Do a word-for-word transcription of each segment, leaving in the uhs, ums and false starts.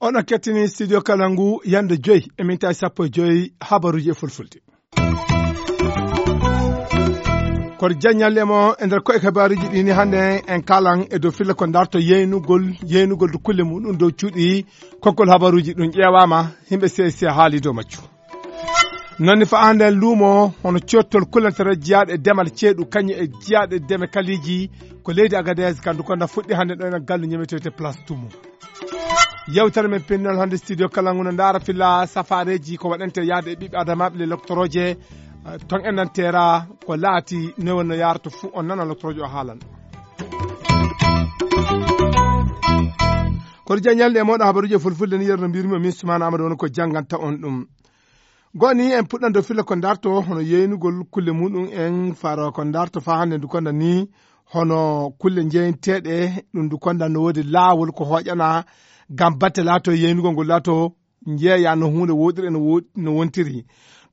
Oɗon kettini studio kala ngu yande joyi e minti sappo e joyi habaruji e fulfulde. Koto jaññal e mo e nder koye habaruji ɗi ni hannde en kalan e dow filla ko darto yeynugol yeynugol do kulle muɗum dow cuuɗi kokkol habaruji ɗum ƴeewama. Himɓe C S C haali dow majju. Nonni fa hannde en luumo hono cottol kullantare jiyaaɗo e demal ceeɗu kañum e jiyaaɗo e deme kaliiji ko leydi Agadez kandu konda fuɗɗi hannde ɗo ena gallu ñemetewte place tumu. Yewtere men pinnol hannde studio kala nguno ndaara filla safareji ko waɗante yaade e ɓiɓɓe adamaɓe le loktoroje ton en nantera ko laati ne wonno yarata fuu on nana loktoroje o haalan. Koto jañalde e moɗo habaruji e fulfulde ni yerno mbirmi o min sumana amadou won ko jannganta on ɗum. Goni en puɗɗan dow filla ko darto hono yeynugol kulle muɗum en faro ko darto fa hannde ndu konda ni hono kulle jeynteɗe ɗum ndu konda no woodi laawol ko hoƴana ngam batte laato yeynugol ngol laato jeeya no huunde woɗiri no wo- no wontiri.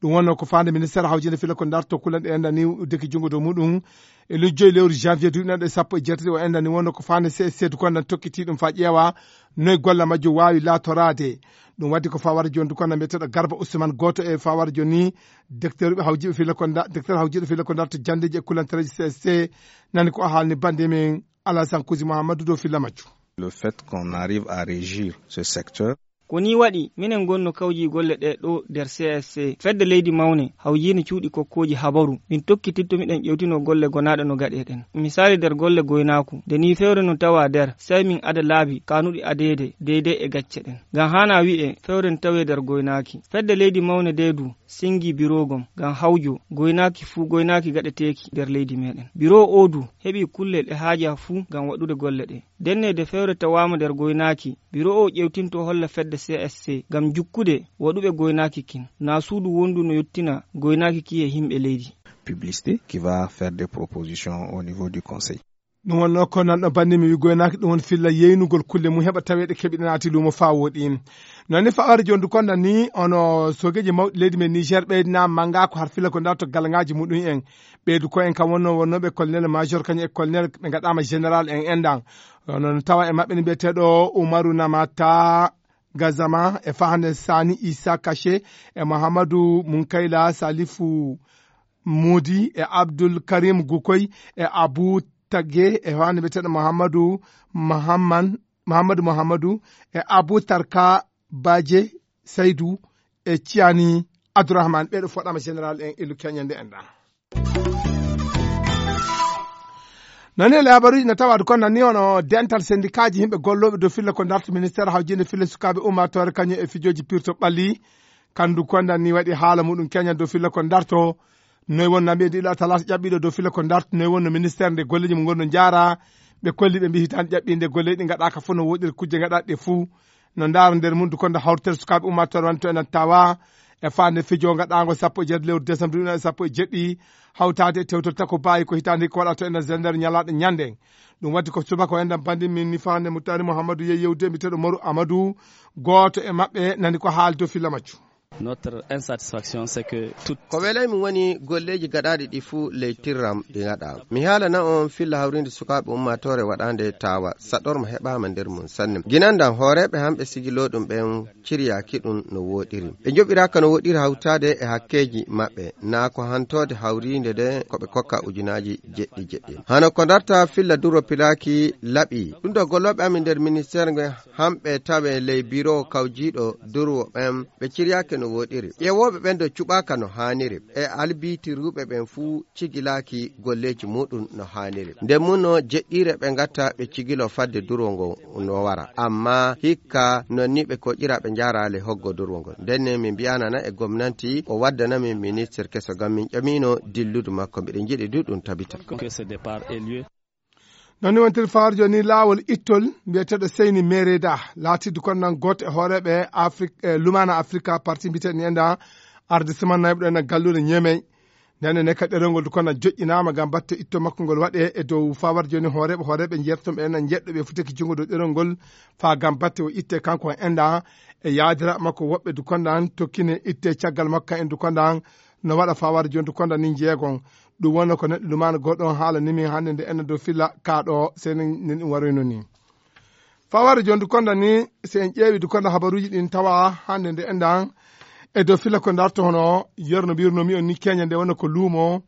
Ɗum wonno ko fande ministére hawjinde filla ko darto kulle ɗe enda ni uddeki junngo dow muɗum e lujjoy lewru janvier duɗinaɗo e sappo e jeetati o enda ni wonno ko fande C S C du konda tokkiti ɗum fa ƴeewa noy golle majjo waawi laatoraade. Ɗum waddi ko fawara joni du konda mbiyeteɗo Garba Ousmane gooto e fawara joni docteur ɓe hawjiɓe filla ko da- docteur hawjiɗo filla ko darto jandeji e kullantareji C S C. Nani ko o haalni bande men Alassane Kousi Mouhamadou dow filla majjo. Le fait qu'on arrive à régir ce secteur. Ko ni waɗi minen ngonno kawji golle ɗe ɗo nder C S C fedde leydi mawne hawjiino cuuɗi kokkooji habaru min tokkititto miɗen ƴewtino golle gonaaɗe no gaɗe ɗen. Misaali nder golle goynaaku nde ni fewre no tawa nder sey min ada laabi kanuɗi adeede deydey e gacce ɗen. Ngam haana wi'e fewre no tawee nder goynaaki fedde leydi mawne nde du singi birogom ngam hawjo goynaaki fuu goynaaki gaɗeteeki nder leydi meɗen. Biro o du heɓi kullel e haaja fuu ngam waɗude golle ɗe. Ndenne de fewre tawaama nder goynaaki biro o ƴewtinto holla fedde C S C ngam jukkude waɗuɓe goynaaki kin na suudu wondu no yottina goynaaki ki e himɓe leydi. Publicité qui va faire des propositions au niveau du conseil. Ɗum wonno ko nanɗo banndi mi wi goynaaki ɗum won filla yeynugol kulle mum heɓa taweeɗe keɓiɗe naati luumo faa wooɗi. Noon ni faware jondu konda ni ono sogeji mawɗi leydi men Niger ɓeydina manga ko har filla ko darto galngaaji muɗum en. Ɓeydu ko en kam wonno wonnooɓe colonel major kañum e colonel ɓe ngaɗaama général en endan. Ono no tawa e maɓɓe ni mbiyeteeɗo Umaru Namata Gazama e fahande Sani Isa Kache e Mouhamadou Munkayla Salifu Modi e Abdul Karim Gukoy e Abu Tage e fahande mbiyeteeɗo Mouhamadou Mahamman Mouhamadou Mouhamadou e Abu Tarka Baje Saydou e Ciani Abdourahmane ɓeeɗo foɗama général en illu keñande en ɗa. Nani e habaruji na tawa ko nanni hono dental sendikaaji yimɓe gollooɓe dow filla ko darto ministére hawjinde filla sukaaɓe ummatore kañum e fijooji pirto ɓalli. Kandu konda ni waɗi haala muɗum keña dow filla ko darto noy wonno mbiye ɗiɗo talata ƴaɓɓiɗo dow filla ko darto noy wonno ministére nde golleji mum gonno jaara. Ɓe kolli ɓe mbi hitande ƴaɓɓinde golleji ɗi gaɗaka fof no woɗiri kujje gaɗaɗe ɗe fuu. No ndaara nder mum du konda hawritere sukaaɓe ummatore wonto enen tawa e fande fijo gaɗango sappo e jeetati lewru décembre ɗum sappo e jeeɗiɗi hawtade e tewtol tako baayi ko hitande ko waɗato enen zender ñalaɗo ñande. Ɗum waddi ko subaka o enɗam bandi min ni fande mutari mouhamadou yehi yewde mbiyeteɗo moru amadou gooto e maɓɓe nani ko haali dow filla majju. Notre insatisfaction c'est que tout ko welay min woni golleji gaɗaɗi ɗi fuu leytirram ɗi gaɗa. Mi haalana on filla hawrinde sukaaɓe ummatore waɗande tawa saɗorma heɓama nder mum sanne ginandan hooreɓe hamɓe sigiloɗum ɓen ciryaki ɗum no woɗiri ɓe joɓiraka no woɗiri hawtade e hakkeji maɓɓe na ko hantode hawrinde nde ko ɓe kokka ujunaji jeɗɗi jeɗɗi hano ko darta filla duro pilaki laɓi ɗum ɗo golloɓe amin nder ministére nge hamɓe tawe ley biro kawjiɗo durwo ɓen ɓe ciryaki no woɗiri ƴewoɓe ɓen ɗo cuɓaka no haniri e albitiruɓe ɓen fuu cigilaaki golleeji muɗum no haaniri. Nden muno jeɗɗiire ɓe ngatta ɓe cigilo fadde durwo ngo no wara. Amma hikka non ni ɓe koƴira ɓe njaaraali hoggo durwo ngol. Nden ne min mbiyanana e gomnanti o waddana min ministir keso ngam min ƴamino dilludu makko mbiɗen njiɗi du ɗum tabita. Que ce départ ait lieu. Non ni wontir fawarjo ni laawol ittol mbiyeteeɗo seyni mereda laatidde kon nan gooto e hooreeɓe afrik e lumaana afrika parti mbiyeteeɗo ni enda arde siman nayɓe ɗo ena galluure ñeemey. Ndenne ne ka ɗerol ngol du kono joƴƴinaama ngam batte itto makko ngol waɗe e dow fawar jooni hooreeɓe hooreeɓe njeertoɓe ena njeɗɗo ɓe futeki junngo dow ɗerol ngol faa ngam batte o itte kanko o enda e yaadira makko woɓɓe dukonda an tokkine itte caggal makko kan en dukonda an no waɗa fawar jon dukonda ni jeegon. Ɗum wonno ko neɗɗo lumano goɗɗo on haalani min hannde nde enna dow filla ka ɗo seni nen ɗum waroyno ni. Fawar jon dukonda ni, si en ƴeewi dukonda habaruuji ɗin tawa hannde nde endan e dow filla ko darto hono yerno mbirnomi on ni keña nde wonno ko luumo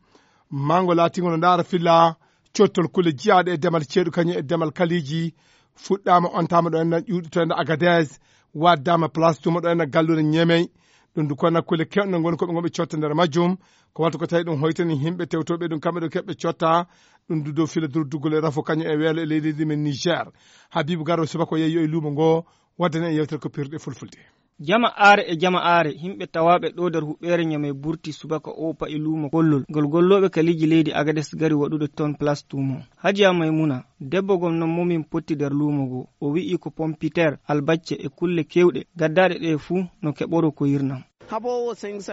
mango laatingo no ndaara filla cottol kulle jiyaaɗe e demal ceeɗu kañum e demal kaliiji fuɗɗaama ontama ɗo endan ƴuuɗi to endan Agadez waddama place tuma ɗo endan gallure ñemey. Ɗum du konna kulle kewɗe ngoni koɓe ngoɓe cotta nder majjum. Ko wata ko tawi ɗum hoytani yimɓe tewtoɓe ɗum kamɓe ɗo keɓɓe cotta ɗum du dow fila durduggol e rafo kañum e weelo e leydi men Niger. Habibu Garba subaka o yeeyo e luumo ngo waddani e yewtere ko pirɗe fulfulde. Jama aare e jama aare, yimɓe tawaaɓe ɗo nder huɓeere Ñamey burti subaka o pa'i luumo kollol ngol gollooɓe kaliiji leydi Agades gari waɗude toon place tuumo. Hajiya Maymuna, debbo gom noon momin potti nder luumo goo. O wi'i ko pompiteer, albacce e kulle keewɗe gaddaaɗe ɗe fuu no keɓoro ko yirnam.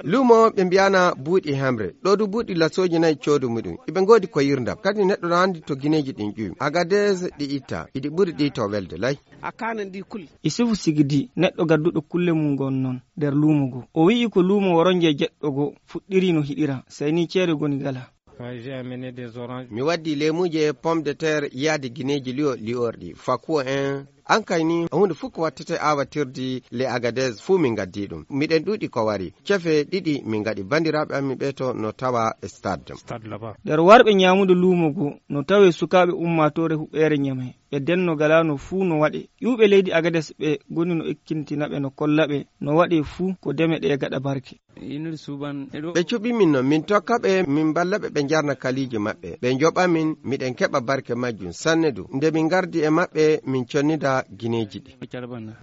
Luumo ɓe mbiyana buuɗi hemre. Ɗo du buuɗi lasooji nayi coodu muɗum. Iɓe ngoodi ko yirndam. Kadi neɗɗo no anndi to gineeji ɗin ƴuwi. Agades ɗi itta. Iɗi ɓuri ɗi to welde lay. A kanan ɗi kul. Isufu Sigidi, neɗɗo gadduɗo kulle mum ngon noon nder luumo goo. O wi'i ko luumo woronje jeɗɗo goo fuɗɗiri no hiɗira. Sey ni ceede goni gala. Mi waddi leemuuje, pomme de terre, yaade gineeji liyo liyorɗi, fakuwo en. An kay ni, huunde fof ko wattete aawatirdi le Agadez, fof min ngaddi ɗum. Miɗen ɗuuɗi ko wari. Cefe ɗiɗi min ngaɗi. Banndiraaɓe amin ɓee to no tawa e stade. Nder warɓe ñaamude luumo goo, no tawe sukaaɓe ummaatoore huɓeere Ñamey. Ɓe denno galaano fuu no waɗe. Ƴuwɓe leydi Agades ɓe goni no ekkintina ɓe no kolla ɓe no waɗe fuu ko deme ɗe gaɗa barke. Ɓe cuɓi min no min tokka ɓe, min mballa ɓe, ɓe njarna kaliiji maɓɓe. Ɓe njoɓa min, miɗen keɓa barke majjum sanne du. Nde min ngardi e maɓɓe, min connida gineeji ɗi.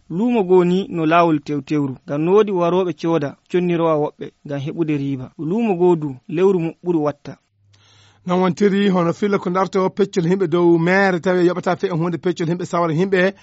Luumo goo ni no laawol tewtewru, ngam no woodi warooɓe cooda, connirowa woɓɓe, ngam heɓude riiba. Luumo goo du, lewru mum ɓuri watta. Non wontiri hono filla ko darto peccol yimɓe dow meere tawi yoɓata fe e hunde peccol yimɓe sawra yimɓe.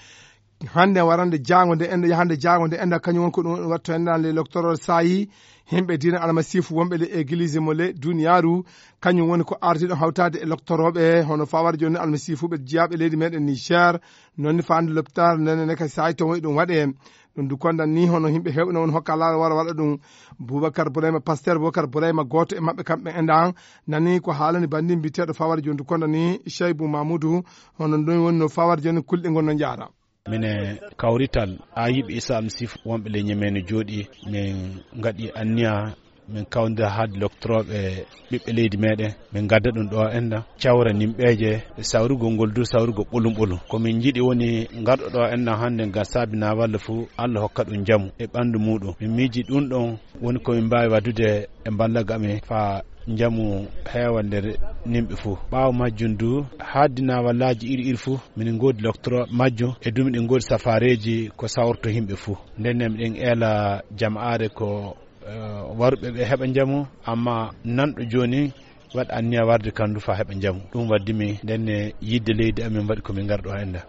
Hannde warande jaango nde enɗo yahande jaango nde enɗo kañum won ko ɗum watto enɗan le loctorol saayi yimɓe diina almasiifu wonɓe le église mo le duniyaaru. Kañum woni ko ardiɗo hawtaade e loctorooɓe hono fawar jooni almasiifuɓe jiyaaɓe leydi meɗen Niger. Noon ni faande l'hôpital nene neka saayi to woni ɗum waɗe. Ɗum du kondan ni hono yimɓe heewɓe no woni hokka laawol wara waɗa ɗum. Boubacar Bourayma, pasteur Boubacar Bourayma, gooto e maɓɓe kamɓe enɗan nani ko haalani banndin mbiteeɗo fawar jooni du kondan ni Cheibou Mamoudou. Hono ɗum woni no fawar jooni kulɗe ngon no njaara. Mine kawrital a yiɓe Issa Almasiifu wonɓe le Ñamey no jooɗi, min ngaɗi anniya min kawndira haade loctorooɓe ɓiɓɓe leydi meɗen, min ngadda ɗum ɗo enɗan cawra nimɓeeje e sawrugol ngol du sawrugol ɓolum ɓolum. Ko min njiɗi woni ngarɗo ɗo enɗan hannde ngam saabina walla fuu Allah hokka ɗum njamu e ɓanndu muɗum. Min miiji ɗum ɗon woni ko min mbaawi waɗude e mballagol amin faa njamu heewa nder nimɓe fuu. Ɓaawo majjum du, haaddina wallaaji iri iri fuu, minen ngoodi loctorooɓe majjum, e du miɗen ngoodi safaareeji ko sawrto yimɓe fuu. Nden ne miɗen eela jama'aare ko, eh, waruɓe ɓe heɓa njamu, amma nanɗo jooni waɗa anniya warde kam du faa heɓa njamu. Ɗum waddi mi nden ne yidde leydi amin waɗi ko min ngarɗo hannde.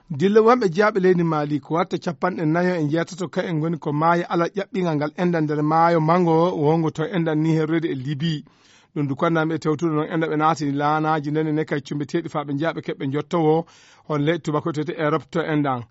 Dille wonɓe jeyaaɓe leydi Mali ko watta capanɗe nayo e njeetato ka en ngoni ko maayo alal ƴaɓɓingal ngal enɗan nder maayo mango wongo to enɗan ni herroyde e Libi. Ɗum du konnami e tewtude noon enɗan ɓe naatini laanaaji nene ne kay cumbeteeɗi faa ɓe njeya ɓe keɓɓe njottowo hol leyɗe tubako tete Europe to enɗan.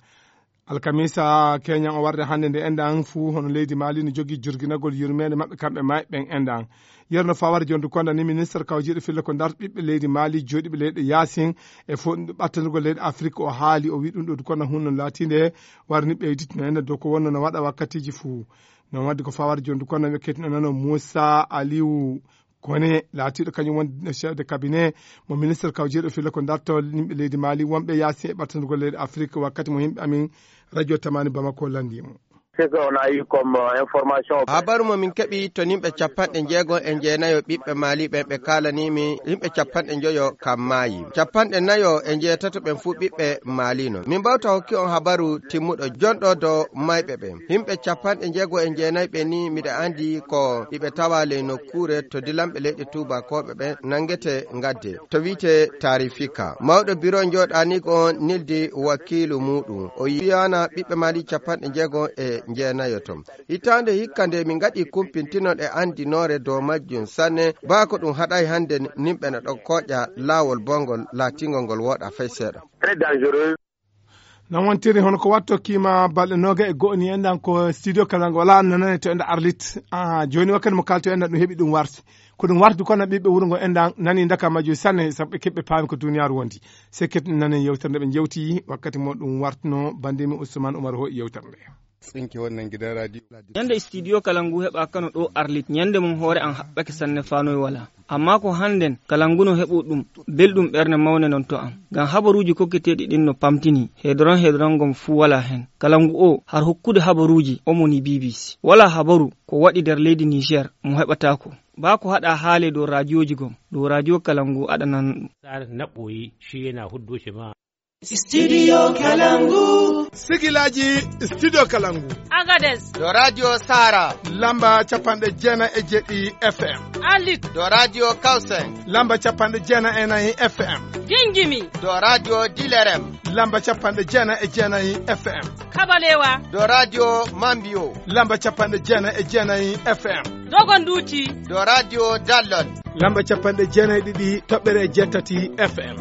Alkamisa keñan o warde hannde nde enɗan fuu hono leydi Mali no jogii jurginagol yurmeende maɓɓe kamɓe maayɓe ɓen enɗan. Yerno Fawar Jondu Konda ni ministre kawjiiɗo filla ko ndarto ɓiɓɓe leydi Mali jooɗiiɓe leyɗe yaasin e fo-, ɓattandirgol leyɗe Afrik o haali, o wi'i ɗum ɗo du Konda hunno laatiinde warni ɓeyditino en dow ko wonno no waɗa wakkatiiji fuu. Non wadde ko Fawar Jondu Konda ɓe kettinanano Moussa Aliou Koné laatiiɗo kañum woni chef de cabinet mo ministre kawjiiɗo filla ko darto yimɓe leydi Mali wonɓe yaasin e ɓattandirgol leyɗe Afrik wakkati mo yimɓe amin radio Tamani Bamako lanndii mo. C'est que on a eu comme, euh, information. Habaru mo min keɓi to yimɓe capanɗe jeego e jeenayo ɓiɓɓe Mali ɓen ɓe kaalanii mi yimɓe capanɗe njoyo kam maayi. Capanɗe nayo e jeetato ɓen fuu ɓiɓɓe Mali non. Min mbawta hokki on habaru timmuɗo jonɗo dow mayɓe ɓen. Yimɓe capanɗe jeego e jeenayo ɓe ni miɗa andi ko iɓe tawa ley nokkuure to dilanɓe leyɗe tuubakooɓe ɓen nangete ngadde to wi'ete Tarifika. Mawɗo biro jooɗaniigo on nildi wakiilu muuɗum. O yiyaana ɓiɓɓe Mali capanɗe jeego e jeenayo ton. Hitaande hikka nde min ngaɗi kumpintino ɗe anndinoore dow majjum sanne, baa ko ɗum haɗay hannde nimɓe no ɗon kooƴa laawol bonngol laatingol ngol wooɗa fay seeɗa. Très dangereux. Non wontiri hono ko watto kiima balɗe nooga e go'o ni enɗan ko studio kala ngo wala nanane to enɗan Arlit. Ah, jooni wakkati mo kalto enɗan ɗum heɓi ɗum warti. Ko ɗum warti kono ɓiɓɓe wuro ngo enɗan nani ndaka majjo sanne sabu ɓe keɓɓe paami ko duniyaaru wondi. Sekket nane yewtere nde ɓe jewti wakkati mo ɗum wartuno bandimi Ousmane Oumar ho yewtere nde. Tsinke wannan gidan radio. Yanda studio kala ngu heɓa kano ɗo Arlit nyande mum hoore an haɓɓake sanne fanoy wala. Amma ko hannden kala ngu no heɓo ɗum belɗum ɓernde mawne non to am. Ngam habaruuji kokketeeɗi ɗin no pamtini, hedron hedron ngon fuu walaa hen. Kala ngu o har hokkude habaruuji omo ni B B C. Walaa habaru ko waɗi nder leydi Niger mo heɓataako. Baa ko haɗa haale dow raajooji gom, dow raajoo kala ngu aɗanan ɗum. Sare naɓɓoyi shi yana huddo shi ma. Studio Kalangu. Sigilaji Studio Kalangu. Agades. Do Radio Sara. Lamba capanɗe jeenayi e jeɗɗi F M. Alit. Do Radio Kausen. Lamba capanɗe jeenayi e nayi F M. Gingimi. Do Radio Dilerem. Lamba capanɗe jeenayi e jeenayi F M. Kabalewa. Do Radio Mambio. Lamba capanɗe jeenayi e jeenayi F M. Dogonduti. Do Radio Dallon. Lamba capanɗe jeenayi e ɗiɗi toɓɓere e jeetati F M.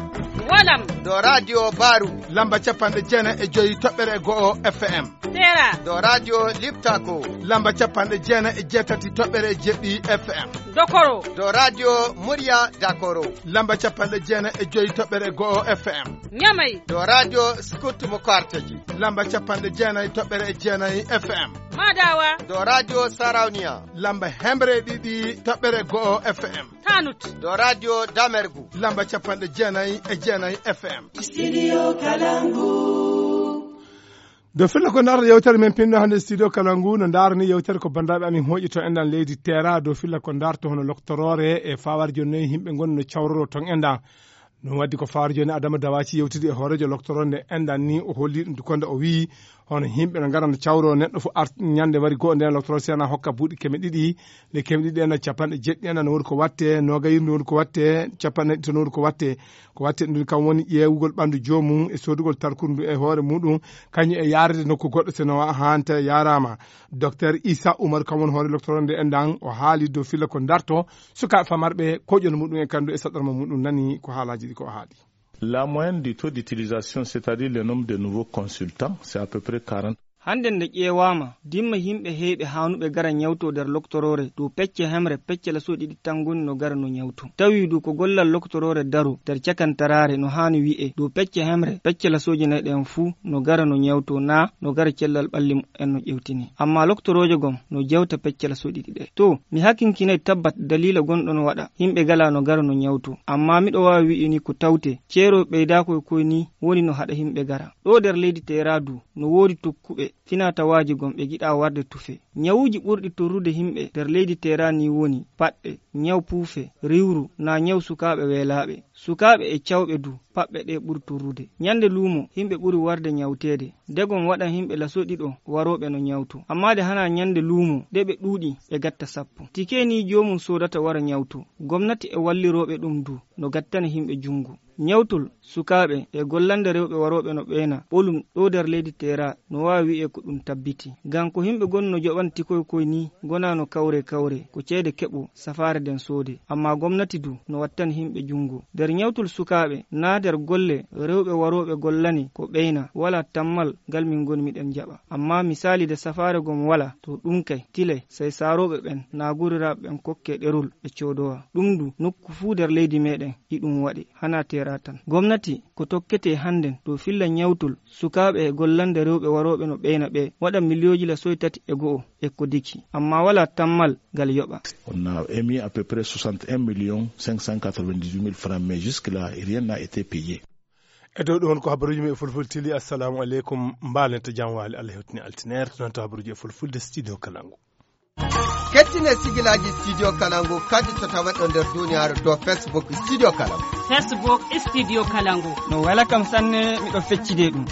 Walam. Do Radio Baru. Lamba capanɗe jeenayi e joyi toɓɓere e go'o F M. Tera. Do Radio Liptako. Lamba capanɗe jeenayi e jeetati toɓɓere e jeɗɗi F M. Dokoro. Do Radio Murya Dakoro. Lamba capanɗe jeenayi e joyi toɓɓere e go'o F M. Nyamai. Do Radio Scoot Mokartaji. Lamba capanɗe jeenayi toɓɓere e jeenayi F M. Madawa. Do Radio Sarauniya. Lamba hemre ɗiɗi toɓɓere go'o F M. Tanut. Do Radio Damergu. Lamba capanɗe jeenayi e jeenayi F M. Studio Kalangu. Do filla ko ndaarata yewtere men pinno hannde studio kala ngu no ndaarani yewtere ko banndiraaɓe amin hooƴi to enɗan leydi Tera. Do filla ko ndaarata hono loktoroore e fawaare jooni noyi yimɓe ngonno cawroro ton enɗan. Ɗum waddi ko fawaare jooni Adama Dawaci yewtidi e hooreejo loktoroore nde enɗan ni o holli ɗum konde o wiyi hono yimɓe no ngara no cawro neɗɗo fof art ñande wari goo nden loktoroore sena hokka buuɗi keme ɗiɗi. Nde keme ɗiɗi en capanɗe jeɗɗi en no woni ko watte noogayirnde woni ko watte capanɗe ɗiɗi tan woni ko watte. Ko watte ɗum kam woni ƴeewugol ɓanndu joomum e soodugol tarkundu e hoore muɗum kañum e yaarde nokku goɗɗo seno hanta yaaraama. Docteur Issa Oumar kam woni hoore loktoroore nde enɗan o haali dow filla ko darto sukaaɓe famarɓe koƴol muɗum e kanndu e saɗarma muɗum nani ko haalaaji ɗi ko o haali. La moyenne du taux d'utilisation, c'est-à-dire le nombre de nouveaux consultants, c'est à peu près quarante. Hannde nde ƴeewaama, dimma yimɓe heewɓe haanuɓe gara ñawto nder loktoroore dow pecce hemre pecce laso ɗiɗi tan ngoni no gara no ñawto. Tawi du ko gollal loktoroore daro nder cakantaraare no haani wi'e dow pecce hemre pecce lasooje nayi ɗen fuu no gara no ñawto naa no gara cellal ɓalli mu'en no ƴewtini. Amma loktoroojo gom no jewta pecce laso ɗiɗi ɗe. To, mi hakinkinay tabbat daliila gonɗo no waɗa yimɓe gala no gara no ñawto. Amma miɗo waawi wi'i ni ko tawte ceerooɓe ɓeydaako e koy ni woni no haɗa yimɓe gara. Ɗo nder leydi Teera du, no woodi tokkuɓe finaa-tawaaji gom ɓe giɗaa warde tufe. Ñawuuji ɓurɗi torrude yimɓe nder leydi Teera ni woni paɗɗe, ñaw puufe, riwru, naa ñaw sukaaɓe weelaaɓe. Sukaaɓe e cawɓe du, paɗɗe ɗe ɓuri torrude. Ñande luumo, yimɓe ɓuri warde ñawteede. Degom waɗan yimɓe laso ɗiɗo warooɓe no ñawto. Amma de hanaa ñande luumo, ɗe ɓe ɗuuɗi, ɓe gatta sappo. Tike ni joomum soodata wara ñawto. Gomnati e wallirooɓe ɗum du, no gattana yimɓe junngo. Ñawtol sukaaɓe e gollande rewɓe warooɓe no ɓeena ɓolum ɗo nder leydi Teera no waawi wi'e ko ɗum tabbiti. Ngam ko yimɓe gonno joɓan tikoy koy ni ngonaa no kawre kawre, ko ceede keɓo safaare nden soode. Amma gomnati du no wattani yimɓe junngo. Nder ñawtol sukaaɓe naa nder golle rewɓe warooɓe gollani ko ɓeyna, walaa tammal ngal min ngoni miɗen jaɓa. Amma misaali de safaare gom walaa, to ɗum kay, tilay, sey saarooɓe ɓen naa guriraaɓe ɓen kokke ɗerol ɓe coodowa. Ɗum du nokku fuu nder leydi meɗen e ɗum waɗe, hanaa Teera tan. Gomnati ko tokketee hannden dow filla ñawtol sukaaɓe e gollande rewɓe warooɓe no ɓeyna ɓe waɗa miliyooji lasoy tati e go'o e ko diki. Amma walaa tammal ngal yoɓa. On a émis à peu près soixante et un millions cinq cent quatre-vingt-dix-huit mille francs, mais jusque-là, rien n'a été payé. E dow ɗum won ko habaruuji men e fulfulde tili. Assalamu aleykum. Mbaalen to jam waali. Allah hewtini altineer. Ɗum to habaruuji e fulfulde studio Kalangu. Kettine sigilaaji studio Kalangu kadi to taweɗo nder duniyaaru to Facebook studio Kalangu. Facebook studio Kalangu. No wela kam sanne, miɗo feccide ɗum.